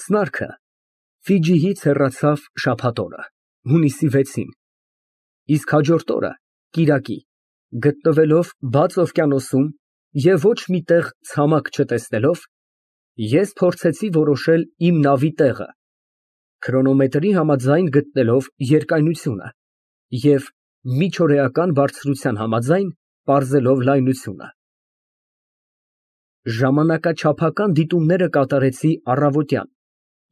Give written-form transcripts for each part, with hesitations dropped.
Սնարքը Ֆիջիից հեռացավ շաբաթ օրը, հունիսի 6-ին, իսկ հաջորդ օրը, կիրակի, գտնվելով բաց օվկիանոսում և ոչ մի տեղ ցամաք չտեսնելով, ես փորձեցի որոշել իմ նավի տեղը, քրոնոմետրի համաձայն գտնելով երկայնությունը և միջօրեական բարձրության համաձայն պարզելով լայնությունը։ Ժամանակաչափական դիտումները կատարեցի առավոտյան,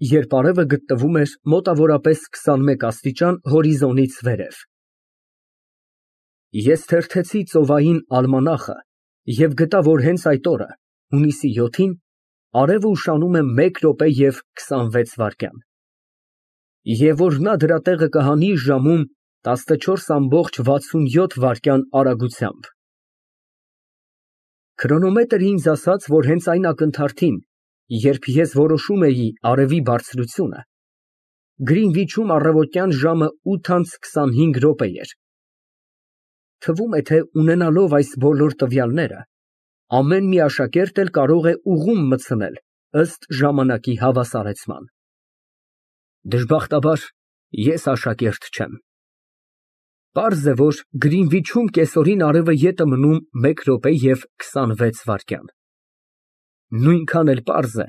երբ արևը գտնվում էր մոտավորապես 21 աստիճան հորիզոնից վերև։ Ես թերթեցի ծովային ալմանախը և գտա, որ հենց այդ օրը, հունիսի 7-ին, արևը ուշանում է 1 րոպե և 26 վայրկյան, և որ նա դրա տեղը կհանի ժամում 14,67 վայրկյան արագությամբ։ Քրոնոմետրն ինձ ասաց, որ հենց այն ակնթարթին, երբ ես որոշում էի արևի բարձրությունը, Գրինվիչում առավոտյան ժամը 8:25 էր։ Թվում է, թե ունենալով այս բոլոր տվյալները, ամեն մի աշակերտ էլ կարող է ուղղում մտցնել ըստ ժամանակի հավասարեցման։ Դժբախտաբար, ես աշակերտ չեմ։ Պարզ է, որ Գրինվիչում կեսօրին արևը ետ է մնում 1 րոպե և 26 վայրկյան։ Նույնքան էլ պարզ է,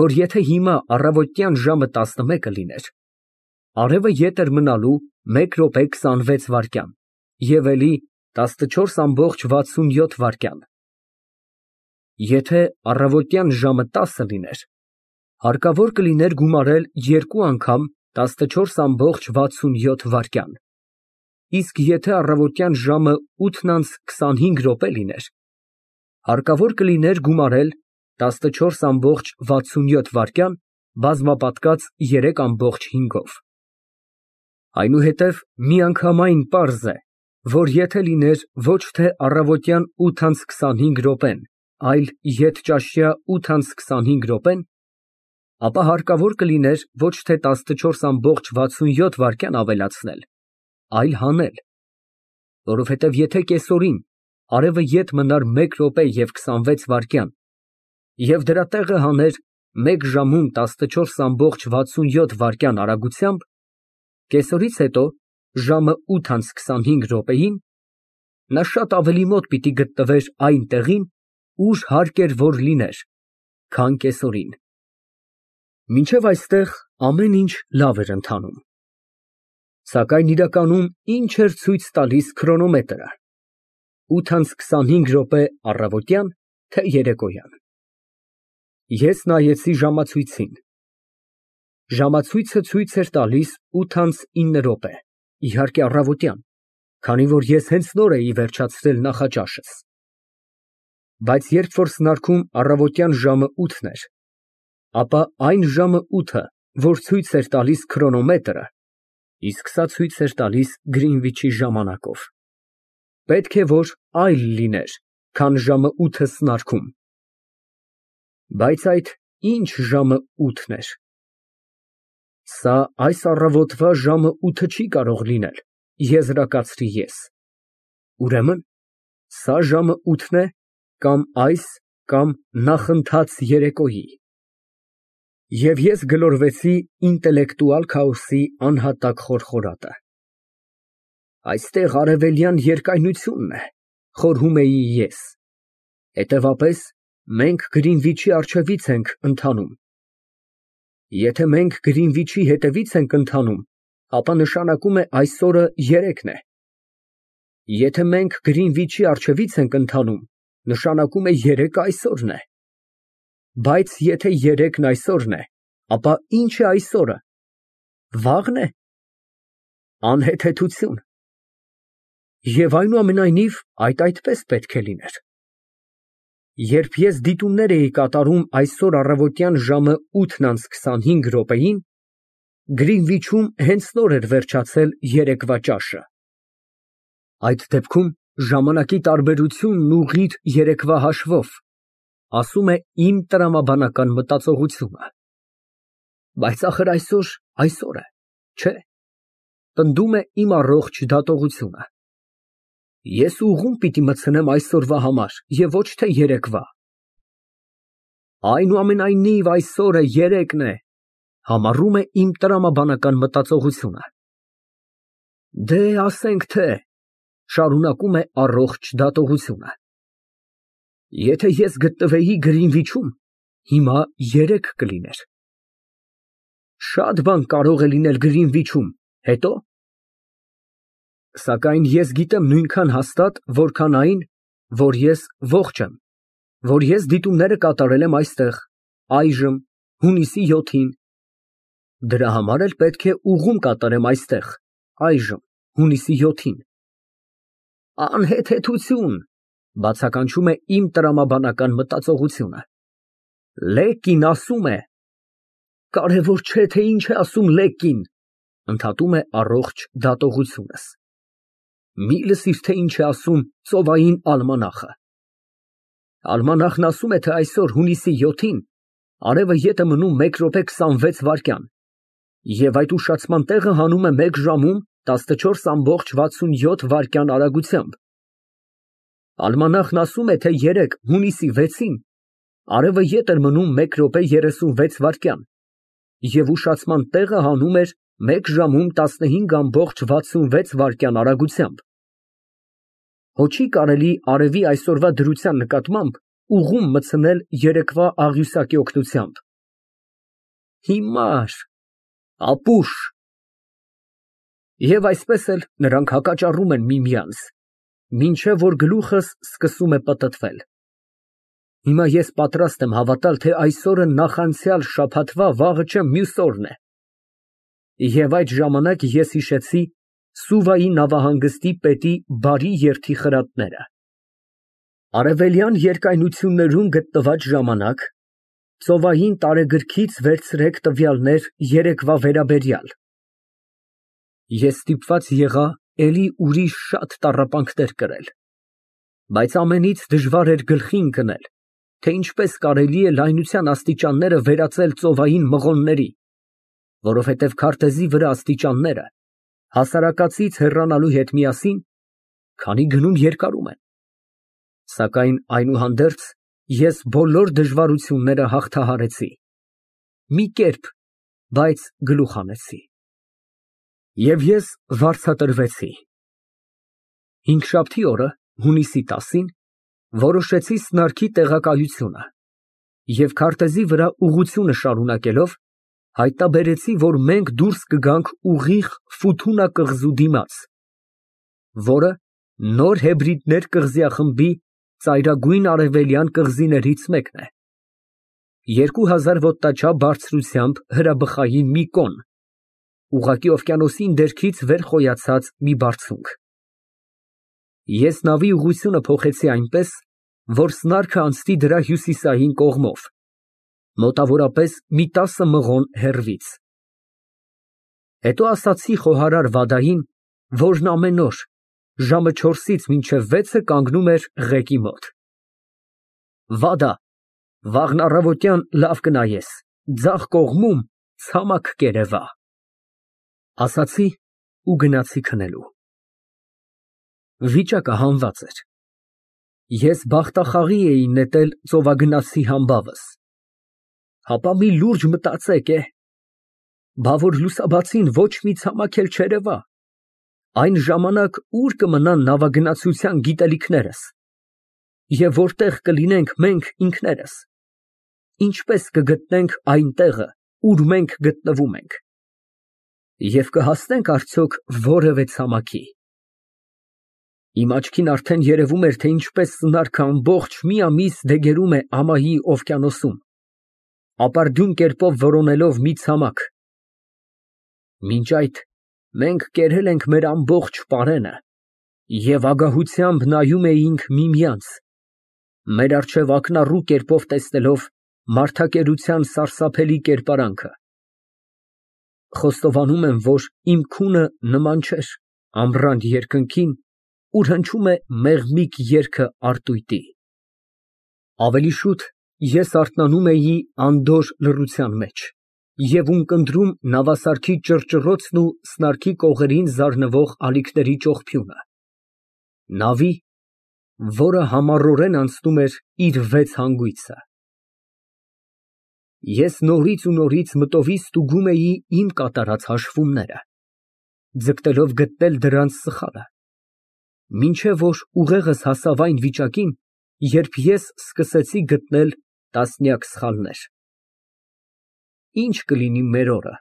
որ եթե հիմա առավոտյան ժամը 11 լիներ, արևը ետ էր մնալու 1 րոպե 26 վայրկյան և էլի 14,67 վայրկյան։ Եթե առավոտյան ժամը 10 լիներ, հարկավոր կլիներ գումարել 2 անգամ 14,67 վայրկյան, իսկ եթե առավոտյան ժամը 8:25 լիներ, հարկավոր կլիներ գումարել 14,67 վայրկյան բազմապատկած 3,5-ով։ Այնուհետև միանգամայն պարզ է, որ եթե լիներ ոչ թե առավոտյան 8:25, այլ ետճաշյա 8:25, ապա հարկավոր կլիներ ոչ թե 14,67 վայրկյան ավելացնել, այլ հանել, որովհետև եթե կեսօրին արևը ետ մնար 1 րոպե և 26 վայրկյան և դրա տեղը հաներ 1 ժամում 14,67 վայրկյան արագությամբ, կեսօրից հետո ժամը 8:25, նա շատ ավելի մոտ պիտի գտնվեր այն տեղին, ուր հարկ էր որ լիներ, քան կեսօրին։ Մինչև այստեղ ամեն ինչ լավ էր ընթանում, սակայն իրականում ի՞նչ էր ցույց տալիս քրոնոմետրը, 8:25 առավոտյան, թե երեկոյան։ Ես նայեցի ժամացույցին։ Ժամացույցը ցույց էր տալիս 8:09, իհարկե առավոտյան, քանի որ ես հենց նոր էի վերջացրել նախաճաշս։ Բայց երբ որ սնարքում առավոտյան ժամը 8-ն էր, ապա այն ժամը 8-ը, որ ցույց էր տալիս քրոնոմետրը, իսկ սա ցույց էր տալիս Գրինվիչի ժամանակով, պետք է որ այլ լիներ, քան ժամը 8-ը սնարքում։ Բայց այդ ի՞նչ ժամը 8-ն էր։ Սա այս առավոտվա ժամը 8-ը չի կարող լինել, եզրակացրի ես։ Ուրեմն սա ժամը 8-ն է կամ այս կամ նախընթաց երեկոյի։ Եվ ես գլորվեցի ինտելեկտուալ քաոսի անհատակ խորխորատը։ Այստեղ արևելյան երկայնությունն է, խորհում էի ես, հետևապես մենք Գրինվիչի առջևից ենք ընթանում։ Եթե մենք Գրինվիչի հետևից ենք ընթանում, ապա նշանակում է այս օրը 3-ն է։ Եթե մենք Գրինվիչի առջևից ենք ընթանում, նշանակում է 3-ը այսօրն է։ Բայց եթե 3-ն այսօրն է, ապա ի՞նչ է այսօրը։ Վա՞ղն է։ Անհեթեթություն։ Եվ այնուամենայնիվ այդ այդպես պետք է լիներ։ Երբ ես դիտումներ էի կատարում այսօր առավոտյան ժամը 8:25, Գրինվիչում հենց նոր էր վերջացել երեկվա ճաշը։ Այդ դեպքում ժամանակի տարբերությունն ուղիղ երեկվա հաշվով, ասում է իմ տրամաբանական մտածողությունը։ Բայց ախր այսօր է, չէ՞, պնդում է իմ առողջ դատողությունը։ Ես ուղղում պիտի մտցնեմ այսօրվա համար և ոչ թե երեկվա։ Այնուամենայնիվ այսօրը 3-ն է, Համառում է իմ տրամաբանական մտածողությունը։ Դե, ասենք թե, շարունակում է առողջ դատողությունը, եթե ես գտնվեի Գրինվիչում, հիմա 3 կլիներ։ Շատ բան կարող է լինել Գրինվիչում, հետո։ Սակայն ես գիտեմ նույնքան հաստատ, որքան այն, որ ես ողջ եմ, որ ես դիտումները կատարել եմ այստեղ, այժմ, հունիսի 7-ին։ Դրա համար էլ պետք է ուղում կատարեմ այստեղ, այժմ, հունիսի 7-ին։ Անհեթեթություն, բացականչում է իմ տրամաբանական մտածողությունը։ Լեկին ասում է։ Կարևոր չէ, թե ինչ է ասում Լեկին, ընդհատում է առողջ դատողությունս։ Մի լսիր, թե ինչ է ասում ծովային ալմանախը։ Ալմանախն ասում է, թե այսօր հունիսի 7-ին արևը ետ է մնում 1 րոպե 26 վայրկյան, և այդ ուշացման տեղը հանում է 1 ժամում 14,67 վայրկյան արագությամբ։ Ալմանախն ասում է, թե 3 հունիսի 6-ին արևը ետ էր մնում 1 րոպե 36 վայրկյան, և ուշացման տեղը հանում էր 1 ժամում 15,66 վայրկյան արագությամբ։ Հո չի կարելի արևի այսօրվա դրության նկատմամբ ուղում մտցնել երեկվա աղյուսակի օգնությամբ։ Հիմար, ապուշ։ Եվ այսպես էլ նրանք հակաճառում են միմյանց, մինչև որ գլուխս սկսում է պտտվել։ Հիմա ես պատրաստ եմ հավատալ, թե այսօրը նախանցյալ շաբաթվա վաղը չէ մյուս օրն է։ Եվ այդ ժամանակ ես հիշեցի Սուվայի նավահանգստի պետի բարի երթի խրատները։ Արևելյան երկայնություններում գտնված ժամանակ ծովային տարեգրքից վերցրեք տվյալներ երեկվա վերաբերյալ։ Ես ստիպված եղա էլի ուրիշ շատ տառապանքներ կրել, բայց ամենից դժվար էր գլխի ընկնել, թե ինչպես կարելի է լայնության աստիճանները վերածել ծովային մղոնների, որովհետև քարտեզի վրա աստիճանները հասարակածից հեռանալու հետ միասին, քանի գնում երկարում են։ Սակայն այնուհանդերձ ես բոլոր դժվարությունները հաղթահարեցի։ Մի կերպ, բայց գլուխ հանեցի։ Եվ ես վարձատրվեցի։ Հինգշաբթի օրը, հունիսի 10-ին, որոշեցի սնարքի տեղակայությունը և քարտեզի վրա ուղղությունը շարունակելով, հայտնաբերեցի, որ մենք դուրս կգանք ուղիղ Ֆութունա կղզու դիմաց, որը Նոր Հեբրիդներ կղզիախմբի ծայրագույն արևելյան կղզիներից մեկն է։ 2000 ոտնաչափ բարձրությամբ հրաբխային մի կոն, ուղղակի օվկիանոսին դերքից վեր խոյացած մի բարձունք։ Ես նավի ուղղությունը փոխեցի այնպես, որ սնարքը անցնի դրա հյուսիսային կողմով, մոտավորապես մի 10 մղոն հեռվից։ Հետո ասացի խոհարար Վադային, որն ամեն օր ժամը 4-ից մինչև 6-ը կանգնում էր ղեկի մոտ. Վադա, վաղն առավոտյան լավ կնայես, ձախ կողմում ցամաք կերևա։ Ասացի ու գնացի քնելու։ Վիճակը հանված էր։ Ես բախտախաղի էի նետել ծովագնացի համբավս։ Հապա մի լուրջ մտածեք, բա որ լուսաբացին ոչ մի ցամաք էլ չերևա, այն ժամանակ ուր կմնան նավագնացության գիտելիքներս, և որտեղ կլինենք մենք ինքներս, ինչպես կգտնենք այն տեղը, ուր մենք գտնվում ենք, և կհասնենք արդյոք որևէ ցամաքի։ Իմ աչքին արդեն երևում էր, թե ինչպես սնարքը ամբողջ մի ամիս դեգերում է ամայի օվկիանոսում, ապարդյուն կերպով որոնելով մի ցամաք։ Մինչ այդ մենք կերել ենք մեր ամբողջ պարենը և ագահությամբ նայում էինք միմյանց, մեր առջև ակնառու կերպով տեսնելով մարդակերության սարսափելի կերպարանքը։ Խոստովանում եմ, որ իմ քունը նման չէր ամռան երկնքին, ուր հնչում է մեղմիկ երգը արտույտի։ Ավելի շուտ ես արթնանում էի անդորր լռության մեջ և ունկնդրում նավասարքի ճռճռոցն ու սնարքի կողերին զարնվող ալիքների ճողփյունը, նավի, որը համառորեն անցնում էր իր 6 հանգույցը։ Ես նորից ու նորից մտովի ստուգում էի իմ կատարած հաշվումները, ձգտելով գտնել դրանց սխալը, մինչև որ ուղեղս հասավ այն վիճակին, երբ ես սկսեցի գտնել տասնյակ սխալներ։ Ինչ կլինի մեր օրը,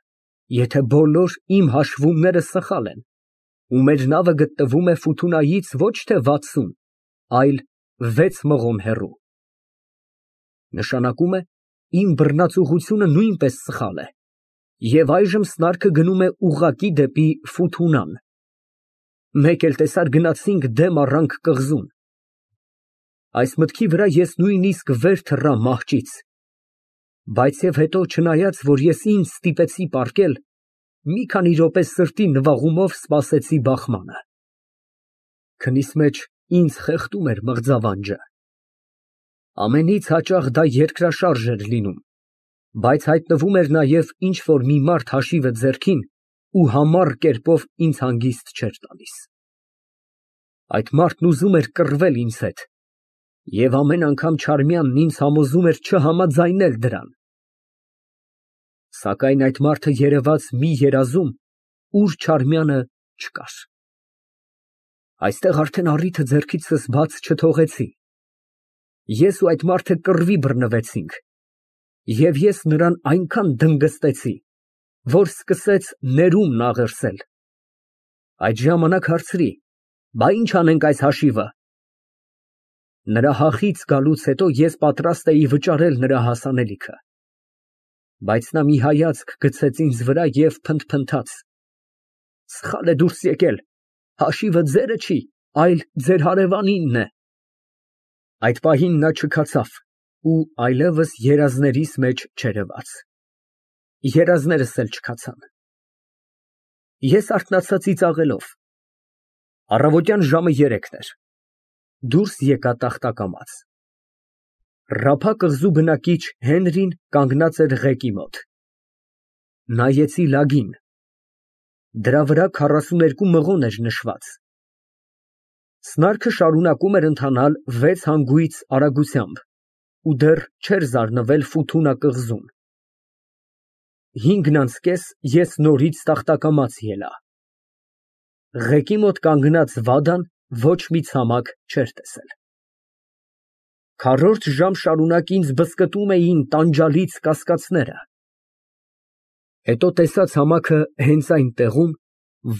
եթե բոլոր իմ հաշվումները սխալ են, ու մեր նավը գտնվում է Ֆութունայից ոչ թե 60, այլ 6 մղոն հեռու։ Նշանակում է, իմ բռնացուղությունը նույնպես սխալ է, և այժմ սնարքը գնում է ուղղակի դեպի Ֆութունան։ Մեկ էլ տեսար գնացինք դեմ առանք կղզուն։ Այս մտքի վրա ես նույնիսկ վեր թռա մահճից, բայց և հետո, չնայած որ ես ինձ ստիպեցի պառկել, մի քանի րոպե սրտի նվաղումով սպասեցի բախմանը։ Քնիս մեջ ինձ խեղդում էր մղձավանջը։ Ամենից հաճախ դա երկրաշարժ էր լինում, բայց հայտնվում էր նաև ինչ֊որ մի մարդ հաշիվը ձեռքին ու համառ կերպով ինձ հանգիստ չէր տալիս։ Այդ մարդն ուզում էր կռվել ինձ հետ, և ամեն անգամ Չարմյանն ինձ համոզում էր չհամաձայնել դրան։ Սակայն այդ մարդը երևաց մի երազում, ուր Չարմյանը չկար։ Այստեղ արդեն առիթը ձեռքիցս բաց չթողեցի։ Ես ու այդ մարդը կռվի բռնվեցինք, և ես նրան այնքան դնգստեցի, որ սկսեց ներումն աղերսել։ Այդ ժամանակ հարցրի. «Բա ինչ անենք այս հաշիվը»։ Նրա հախից գալուց հետո ես պատրաստ էի վճարել նրա հասանելիքը, բայց նա մի հայացք գցեց ինձ վրա և փնթփնթաց. «Սխալ է դուրս եկել, հաշիվը ձերը չի, այլ ձեր հարևանինն է»։ Այդ պահին նա չքացավ ու այլևս երազներիս մեջ չերևաց։ Երազներս էլ չքացան։ Ես արթնացա ծիծաղելով։ Առավոտյան ժամը 3 էր։ Դուրս եկա տախտակամաց։ Ռափա կղզու բնակիչ Հենրին կանգնած էր ղեկի մոտ։ Նայեցի լագին։ Դրա վրա 42 մղոն էր նշված։ Սնարքը շարունակում էր ընթանալ 6 հանգույց արագությամբ ու դեռ չէր զարնվել Ֆութունա կղզուն։ 5:30 ես նորից տախտակամաց ելա։ Ղեկի մոտ կանգնած Վադան ոչ մի ցամաք չէր տեսել։ Քառորդ ժամ շարունակ ինձ բզկտում էին տանջալից կասկածները։ Հետո տեսա ցամաքը հենց այն տեղում,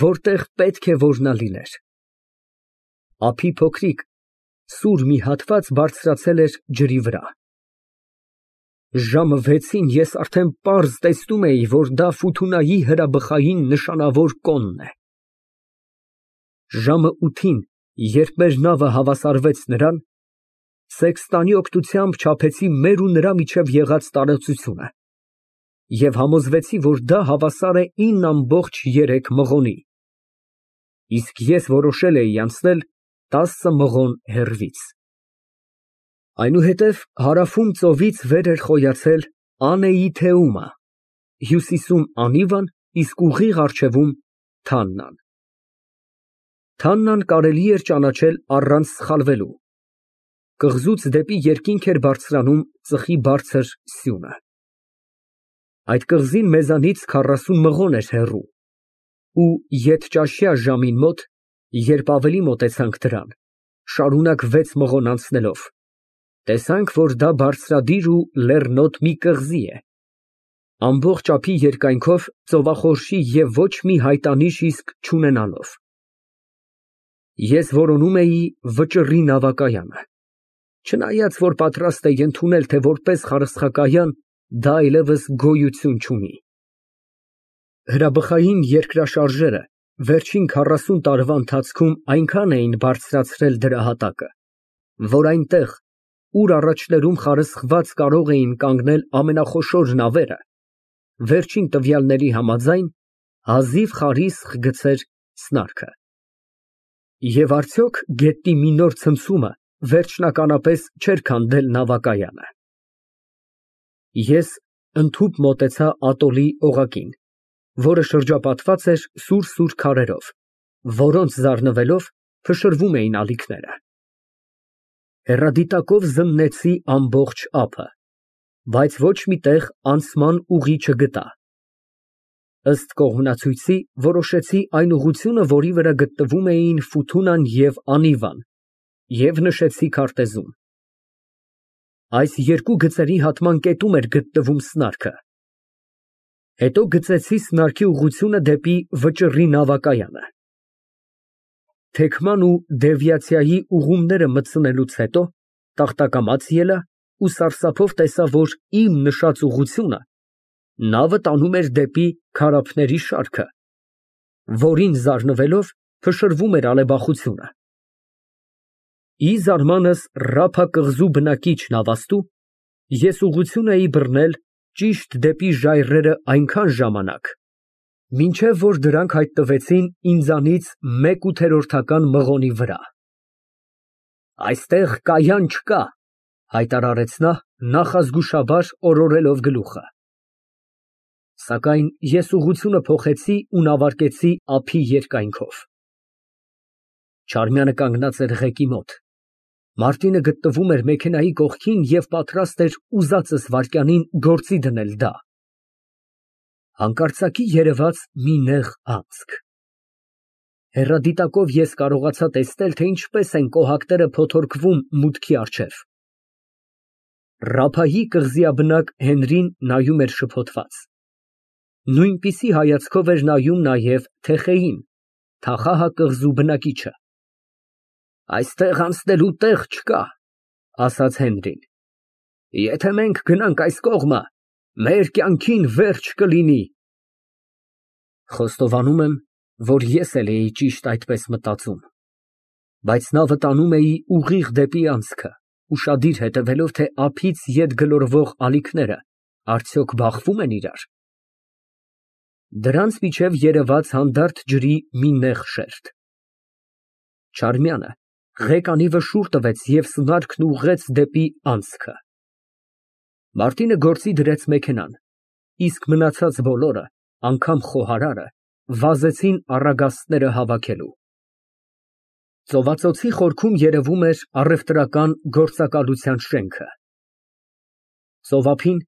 որտեղ պետք է որ նա լիներ։ Ափի փոքրիկ, սուր մի հատված բարձրացել էր ջրի վրա։ Ժամը 6-ին ես արդեն պարզ տեսնում էի, որ դա Ֆութունայի հրաբխային նշանավոր կոնն է։ Ժամը 8-ին, երբ մեր նավը հավասարվեց նրան, սեքստանի օգնությամբ չափեցի մեր ու նրա միջև եղած տարածությունը և համոզվեցի, որ դա հավասար է 9,3 մղոնի, իսկ ես որոշել էի անցնել 10 մղոն հեռվից։ Այնուհետև հարավում ծովից վեր էր խոյացել Անեիթեումը, հյուսիսում Անիվան, իսկ ուղիղ առջևում Թաննան։ Թաննան կարելի էր ճանաչել առանց սխալվելու։ Կղզուց դեպի երկինք էր բարձրանում ծխի բարձր սյունը։ Այդ կղզին մեզանից 40 մղոն էր հեռու, ու ետճաշյա ժամին մոտ, երբ ավելի մոտեցանք դրան, շարունակ 6 մղոն անցնելով, տեսանք, որ դա բարձրադիր ու լեռնոտ մի կղզի է, ամբողջ ափի երկայնքով ծովախորշի և ոչ մի հայտանիշ իսկ չունենալով։ Ես որոնում էի վճռի նավակայանը, չնայած որ պատրաստ էի ընդունել, թե որպես խարսխակայան դա այլևս գոյություն չունի։ Հրաբխային երկրաշարժերը վերջին 40 տարվա ընթացքում այնքան էին բարձրացրել դրա հատակը, որ այնտեղ, ուր առաջներում խարսխված կարող էին կանգնել ամենախոշոր նավերը, վերջին տվյալների համաձայն, հազիվ խարիսխ գցեր սնարքը։ Եվ արդյոք գետնի մի նոր ցնցումը վերջնականապես չէր քանդել նավակայանը։ Ես ընդհուպ մոտեցա ատոլի օղակին, որը շրջապատված էր սուր քարերով, որոնց զարնվելով փշրվում էին ալիքները։ Հեռադիտակով զննեցի ամբողջ ափը։ Բայց ոչ մի տեղ անցման ուղի չգտա։ Ըստ կողմնացույցի որոշեցի այն ուղղությունը, որի վրա գտնվում էին Ֆութունան և Անիվան, և նշեցի քարտեզում։ Այս երկու գծերի հատման կետում էր գտնվում սնարքը։ Հետո գծեցի սնարքի ուղղությունը դեպի վճռի նավակայանը։ Թեքման ու դևիացիայի ուղումները մտցնելուց հետո տախտակամաց ելա ու սարսափով տեսա, որ իմ նշած ուղղությունը նավը տանում էր դեպի քարափների շարքը, որին զարնվելով փշրվում էր ալեբախությունը։ Ի զարմանս Ռափա կղզու բնակիչ նավաստու, ես ուղղություն էի բռնել ճիշտ դեպի ժայռերը այնքան ժամանակ, մինչև որ դրանք հայտնվեցին ինձանից 1/8 մղոնի վրա։ Այստեղ կայան չկա, հայտարարեց նա, նախազգուշաբար օրորելով գլուխը։ Սակայն ես ուղղությունը փոխեցի ու նավարկեցի ափի երկայնքով։ Չարմյանը կանգնած էր ղեկի մոտ։ Մարտինը գտնվում էր մեքենայի կողքին և պատրաստ էր ուզածս վայրկյանին գործի դնել դա։ Հանկարծակի երևաց մի նեղ անցք։ Հեռադիտակով ես կարողացա տեսնել, թե ինչպես են կոհակները փոթորկվում մուտքի առջև։ Ռափայի կղզիաբնակ Հենրին նայում էր շփոթված։ Նույնպիսի հայացքով էր նայում նաև Թեխեին, Թախահ կղզու բնակիչը։ Այստեղ անցնելու տեղ չկա, ասաց Հենրին։ Եթե մենք գնանք այս կողմը, մեր կյանքին վերջ կլինի։ Խոստովանում եմ, որ ես էլ էի ճիշտ այդպես մտածում, բայց նավը տանում էի ուղիղ դեպի անցքը, ուշադիր հետևելով, թե ափից ետ գլորվող ալիքները արդյոք բախվում են իրար։ Դրանց միջև երևաց հանդարտ ջրի մի նեղ շերտ։ Չարմյանը ղեկ անիվը շուռ տվեց և սնարքն ուղղեց դեպի անցքը։ Մարտինը գործի դրեց մեքենան, իսկ մնացած բոլորը, անգամ խոհարարը, վազեցին առագաստները հավաքելու։ Ծովածոցի խորքում երևում էր առևտրական գործակալության շենքը։ Ծովափին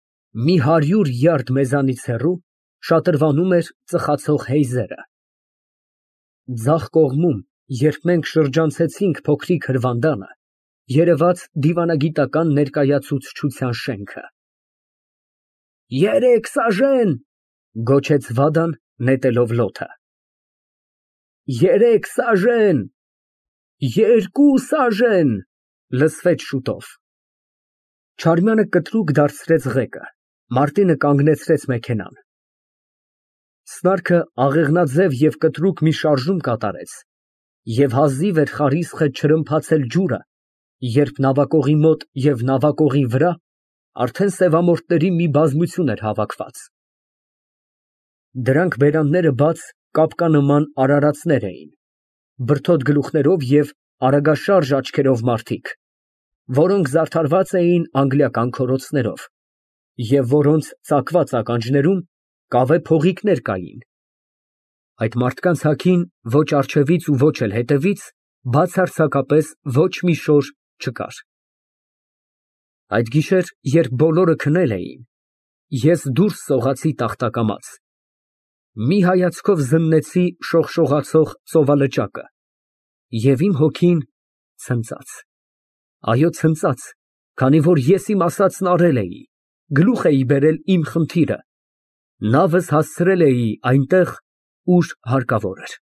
մի 100 յարդ մեզանից հեռու շատրվանում էր ծխացող հեյզերը։ Ձախ կողմում, երբ մենք շրջանցեցինք փոքրիկ հրվանդանը, երևաց դիվանագիտական ներկայացուցչության շենքը։ 3 սաժեն, գոչեց Վադան, նետելով լոթը։ 3 սաժեն, 2 սաժեն, լսվեց շուտով։ Չարմյանը կտրուկ դարձրեց ղեկը, Մարտինը կանգնեցրեց մեքենան։ Սնարքը աղեղնաձև և կտրուկ մի շարժում կատարեց, և հազիվ էր խարիսխը չրմփացել ջուրը, երբ նավակողի մոտ և նավակողի վրա արդեն սևամորթների մի բազմություն էր հավաքված։ Դրանք բերանները բաց կապկանման արարածներ էին, բրդոտ գլուխներով և արագաշարժ աչքերով մարդիկ, որոնք զարդարված էին անգլիական քորոցներով, և որոնց ծակված ականջներում կավե փողիկներ կային։ Այդ մարդկանց հագին ոչ առջևից ու ոչ էլ հետևից բացարձակապես ոչ մի շոր չկար։ Այդ գիշեր, երբ բոլորը քնել էին, ես դուրս սողացի տախտակամաց, մի հայացքով զննեցի շողշողացող ծովալճակը, և իմ հոգին ցնծաց։ Այո, ցնծաց, քանի որ ես իմ ասածն արել էի, գլուխ էի բերել իմ խնդիրը, նավս հասցրել էի այնտեղ, ուր հարկավոր էր։